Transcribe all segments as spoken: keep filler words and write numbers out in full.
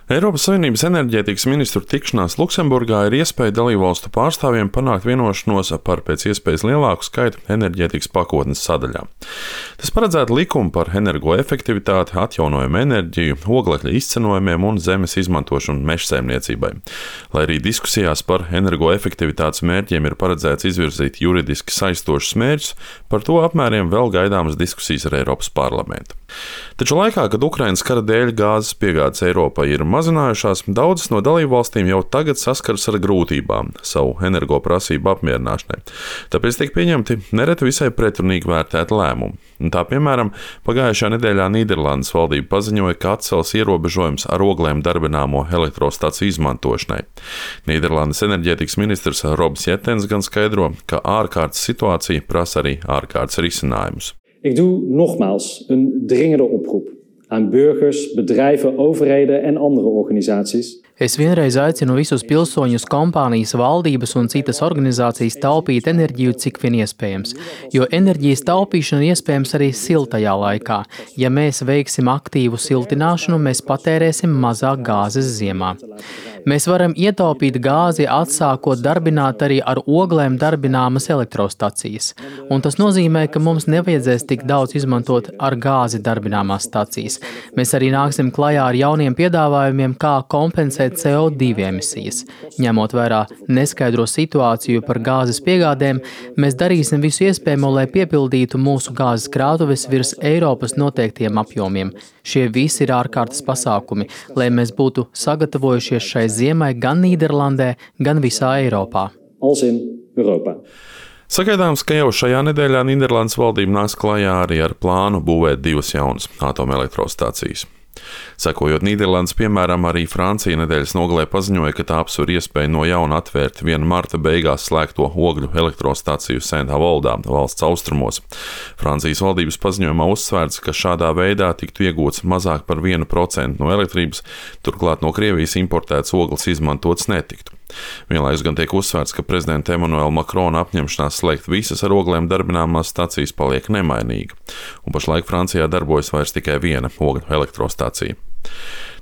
Eiropas Savienības enerģētikas ministru tikšanās Luksemburgā ir iespēja dalībvalstu pārstāvjiem panākt vienošanos par pēc iespējas lielāku skaitu enerģētikas pakotnes sadaļām. Tas paredzētu likumu par energoefektivitāti, atjaunojumu enerģiju, oglekļa izcenojumiem un zemes izmantošanu mežsaimniecībai. Lai arī diskusijās par energoefektivitātes mērķiem ir paredzēts izvirzīt juridiski saistošus mērķus, par to apmēriem vēl gaidāmas diskusijas ar Eiropas parlamentu. Taču laikā, kad Ukrainas kara dēļ gāzes piegādes Eiropai ir mazinājušās, daudzas no dalībvalstīm jau tagad saskaras ar grūtībām savu energoprasību apmierināšanai. Tāpēc tiek pieņemti nereti visai pretrunīgi vērtēti lēmumi. Tā, piemēram, pagājušajā nedēļā Nīderlandes valdība paziņoja, ka atcels ierobežojums ar oglēm darbināmo elektrostaciju izmantošanai. Nīderlandes enerģētikas ministrs Robs Jettens gan skaidro, ka ārkārtas situācija prasa arī ārkārtas risinājumus. Ik doe nogmaals een dringende oproep aan burgers, bedrijven, overheden en andere organisaties. Es vienreiz aicinu visus pilsoņus, kompānijas, valdības un citas organizācijas taupīt enerģiju, cik vien iespējams, jo enerģijas taupīšana iespējams arī siltajā laikā. Ja mēs veiksim aktīvu siltināšanu, mēs patērēsim mazāk gāzes ziemā. Mēs varam ietaupīt gāzi, atsākot darbināt arī ar oglēm darbināmas elektrostacijas. Un tas nozīmē, ka mums nevajadzēs tik daudz izmantot ar gāzi darbināmās stacijas. Mēs arī nāksim klajā ar jauniem piedāvājumiem, kā kompensēt C O divi emisijas. Ņemot vērā neskaidro situāciju par gāzes piegādēm, mēs darīsim visu iespējamo, lai piepildītu mūsu gāzes krātuves virs Eiropas noteiktiem apjomiem. Šie visi ir ārkārtas pasākumi, lai mēs būtu sagatavojušies šai ziemai gan Nīderlandē, gan visā Eiropā. Sagaidāms, ka jau šajā nedēļā Nīderlandes valdība nāks klajā arī ar plānu būvēt divas jaunas atomelektrostacijas. Sekojot Nīderlandes piemēram, arī Francija nedēļas nogalē paziņoja, ka tā apsver iespēju no jauna atvērt viena marta beigās slēgto ogļu elektrostaciju Saint-Avoldā, valsts austrumos. Francijas valdības paziņojumā uzsvērts, ka šādā veidā tiktu iegūts mazāk par vienu procentu no elektrības, turklāt no Krievijas importēts ogles izmantots netiktu. Vienlaikus gan tiek uzsvērts, ka prezidenta Emanuela Makrona apņemšanās slēgt visas ar oglēm darbināmās stacijas paliek nemainīga, un pašlaik Francijā darbojas vairs tikai viena ogļu elektrostacija.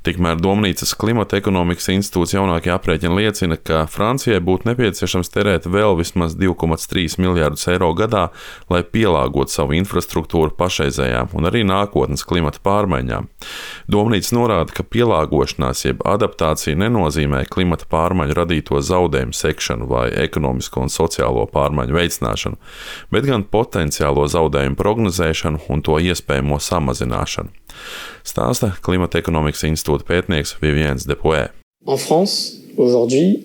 Tikmēr Domnīcas Klimata ekonomikas institūts jaunākie aprēķini liecina, ka Francijai būtu nepieciešams terēt vēl vismaz divi komats trīs miljārdus eiro gadā, lai pielāgotu savu infrastruktūru pašreizējām un arī nākotnes klimata pārmaiņām. Domnīca norāda, ka pielāgošanās jeb adaptācija nenozīmē klimata pārmaiņu radīto zaudējumu sekšanu vai ekonomisko un sociālo pārmaiņu veicināšanu, bet gan potenciālo zaudējumu prognozēšanu un to iespējamo samazināšanu. Stāsta Klimata ekonomikas institūta pētnieks Viviens Depuē. En France, aujourd'hui,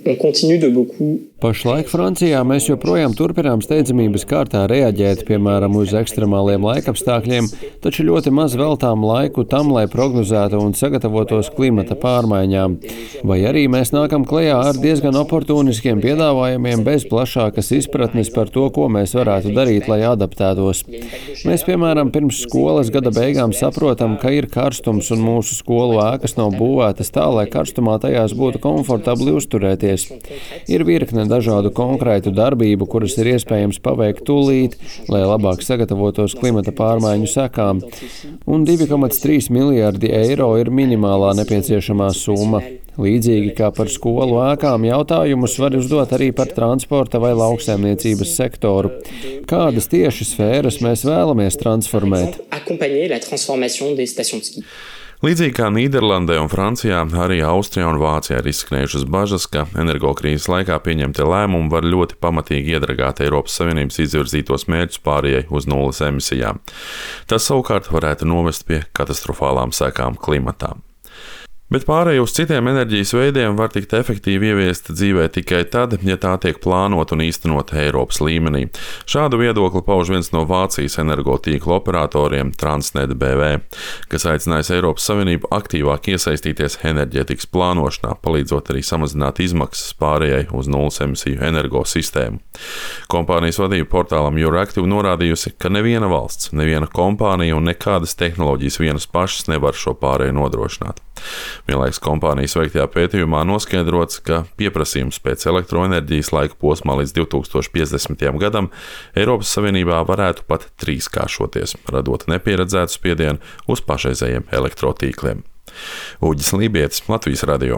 on continue de beaucoup. Pašlaik Francijā mēs joprojām turpinām steidzamības kārtā reaģēt, piemēram, uz ekstremāliem laikapstākļiem, taču ļoti maz veltām laiku tam, lai prognozētu un sagatavotos klimata pārmaiņām. Vai arī mēs nākam klajā ar diezgan oportuniskiem piedāvājumiem bez plašākas izpratnes par to, ko mēs varētu darīt, lai adaptētos. Mēs, piemēram, pirms skolas gada beigām saprotam, ka ir karstums un mūsu skolu ēkas nav būvētas tā, lai karstumā tajās būtu komfortabli uzturēties. Ir virkne dažādu konkrētu darbību, kuras ir iespējams paveikt tūlīt, lai labāk sagatavotos klimata pārmaiņu sekām, un divi komats trīs miljārdi eiro ir minimālā nepieciešamā summa. Līdzīgi kā par skolu ēkām, jautājumus var uzdot arī par transporta vai lauksaimniecības sektoru. Kādas tieši sfēras mēs vēlamies transformēt? Līdzīgi kā Nīderlandē un Francijā, arī Austrijā un Vācijā ir izskanējušas bažas, ka energokrīzes laikā pieņemtie lēmumi var ļoti pamatīgi iedragāt Eiropas Savienības izvirzītos mērķus pārējai uz nulles emisijām. Tas savukārt varētu novest pie katastrofālām sekām klimatā. Bet pārēj uz citiem enerģijas veidiem var tikt efektīvi ieviesta dzīvē tikai tad, ja tā tiek plānota un īstenota Eiropas līmenī. Šādu viedokli pauž viens no Vācijas energotīklu operatoriem Transnet B V, kas aicinājis Eiropas Savienību aktīvāk iesaistīties enerģētikas plānošanā, palīdzot arī samazināt izmaksas pārējai uz nulles emisiju energosistēmu. Kompānijas vadība portālam Euractiv norādījusi, ka neviena valsts, neviena kompānija un nekādas tehnoloģijas vienas pašas nevar šo pārēju nodrošināt. Vienlaikus kompānijas veiktajā pētījumā noskaidrots, ka pieprasījums pēc elektroenerģijas laika posmā līdz divi tūkstoši piecdesmitajam gadam Eiropas Savienībā varētu pat trīskāršoties, radot nepieredzētu spiedienu uz pašreizējiem elektrotīkliem. Uģis Lībietis, Latvijas radio.